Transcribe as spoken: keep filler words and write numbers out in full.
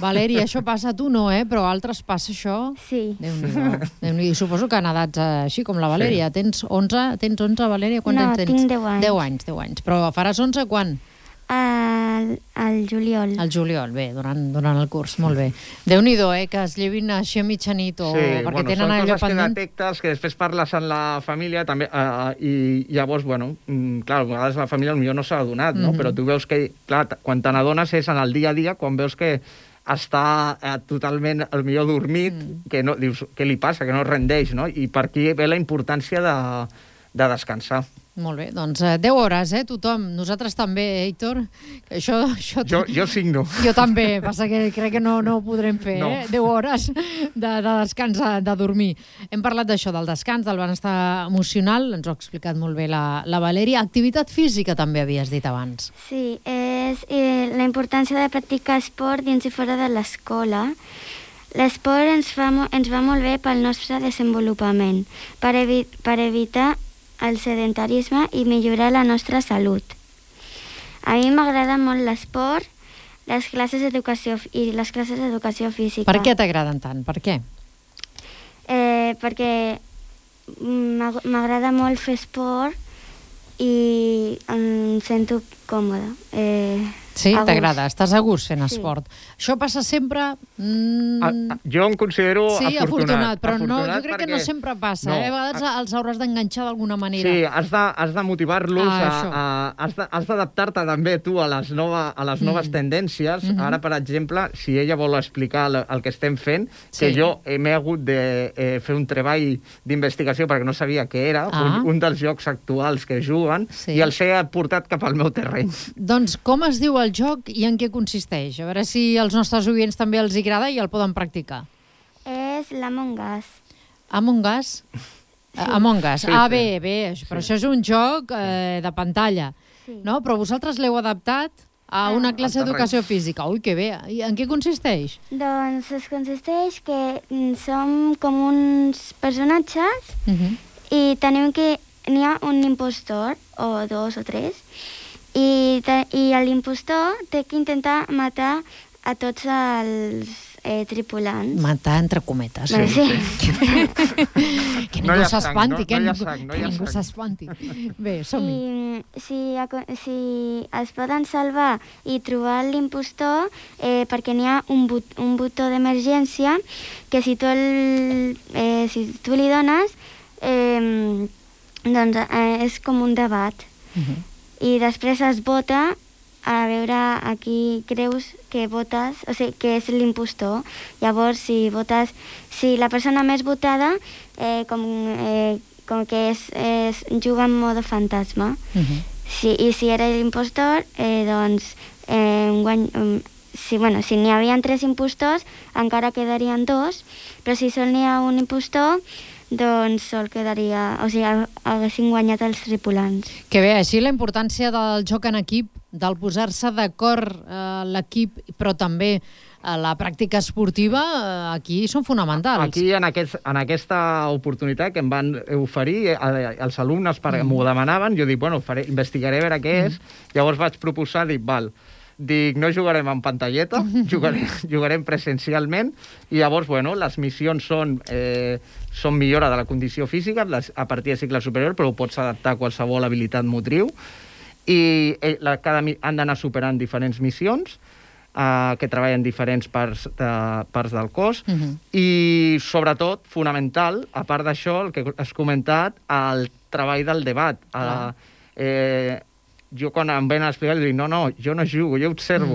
Valeri, això passa a tu no, eh? Però a altres passa això? Sí. Déu-n'hi-do. Déu-n'hi-do. Suposo que en edats així com la Valèria. Sí. Tens onze, tens onze, Valèria? Quants no, anys tens? tinc deu anys. deu anys, deu anys. Però faràs onze quan? Al, al juliol. Al juliol, bé, durant, durant el curs, molt bé. Déu-n'hi-do, eh? Que es llevin així a mitjanit o sí, perquè bueno, tenen allò pendent. Són coses que detectes, que després parles amb la família també, uh, i llavors, bueno, mm, clar, a vegades la família potser no s'ha adonat, no? Mm -hmm. Però tu veus que, clar, quan te n'adones és en el dia a dia, quan veus que està eh, totalment, al millor dormit, mm. que no, dius, què li passa, que no rendeix, no? I per aquí ve la importància de, de descansar. Molt bé, doncs eh, deu hores, eh, tothom. Nosaltres també, Héctor. Això, això... Jo, jo signo. Jo també, passa que crec que no, no ho podrem fer, no. eh? deu hores de, de descans, de dormir. Hem parlat d'això, del descans, del benestar emocional, ens ho ha explicat molt bé la, la Valèria. Activitat física també havies dit abans. Sí, és eh, la importància de practicar esport dins i fora de l'escola. L'esport ens, fa, ens va molt bé pel nostre desenvolupament, per, evi per evitar el sedentarisme i millorar la nostra salut. A mi m'agrada molt l'esport, les classes d'educació i les classes d'educació física. Per què t'agraden tant? Per què? Eh, perquè m'agrada molt fer esport i em sento còmoda. Eh, sí, t'agrada, estàs a gust fent sí. esport. Això passa sempre... Mm... A, a, jo em considero sí, afortunat. afortunat, però afortunat no, jo crec perquè... que no sempre passa. No, eh? A vegades a... els hauràs d'enganxar d'alguna manera. Sí, has de, has de motivar-los, ah, has d'adaptar-te també tu a les, nova, a les noves mm. tendències. Mm -hmm. Ara, per exemple, si ella vol explicar el, el que estem fent, sí. que jo m'he hagut de eh, fer un treball d'investigació perquè no sabia què era, ah. un, un dels jocs actuals que juguen, sí. i els he portat cap al meu terreny. Doncs com es diu el joc i en què consisteix? A veure si als nostres oients també els agrada i el poden practicar. És l'Among Us. Among Us? Sí. Among Us. Sí, ah, sí. bé, bé, però sí. això és un joc eh, de pantalla, sí. no? Però vosaltres l'heu adaptat a una ah, classe d'educació física. Ui, que bé. I en què consisteix? Doncs es consisteix que som com uns personatges uh -huh. i tenim que... N'hi ha un impostor, o dos o tres, i, i l'impostor té que intentar matar a tots els eh, tripulants. Matar entre cometes. Sí, sí. sí. Que ningú no s'espanti, no, que no ningú, no ningú s'espanti. Bé, som-hi. Si, si es poden salvar i trobar l'impostor, eh, perquè n'hi ha un, but, un botó d'emergència que si tu, el, eh, si tu li dones... Eh, doncs eh, és com un debat. Uh-huh. I després es vota a veure a qui creus que votes, o sigui, que és l'impostor. Llavors, si votes... Si la persona més votada, eh, com, eh, com que és, és, juga en modo fantasma. Uh-huh. Si, I si era l'impostor, eh, doncs... Eh, guany, um, si bueno, si n'hi havia tres impostors, encara quedarien dos, però si sol n'hi ha un impostor... doncs sol quedaria... O sigui, haguessin guanyat els tripulants. Que bé, així la importància del joc en equip, del posar-se d'acord eh, l'equip, però també eh, la pràctica esportiva, eh, aquí són fonamentals. Aquí, en, aquest, en aquesta oportunitat que em van oferir eh, els alumnes, perquè mm. m'ho demanaven, jo dic, bueno, faré, investigaré a veure què mm. és, llavors vaig proposar, dic, val, dic, no jugarem en pantalleta, jugarem, jugarem presencialment, i llavors, bueno, les missions són... Eh, són millora de la condició física les, a partir de cicle superior, però ho pots adaptar a qualsevol habilitat motriu, i eh, la, cada, han d'anar superant diferents missions eh, que treballen diferents parts, de, parts del cos, uh -huh. i sobretot, fonamental, a part d'això, el que has comentat, el treball del debat. Uh -huh. eh, jo quan em ven a explicar, dic, no, no, jo no jugo, jo observo.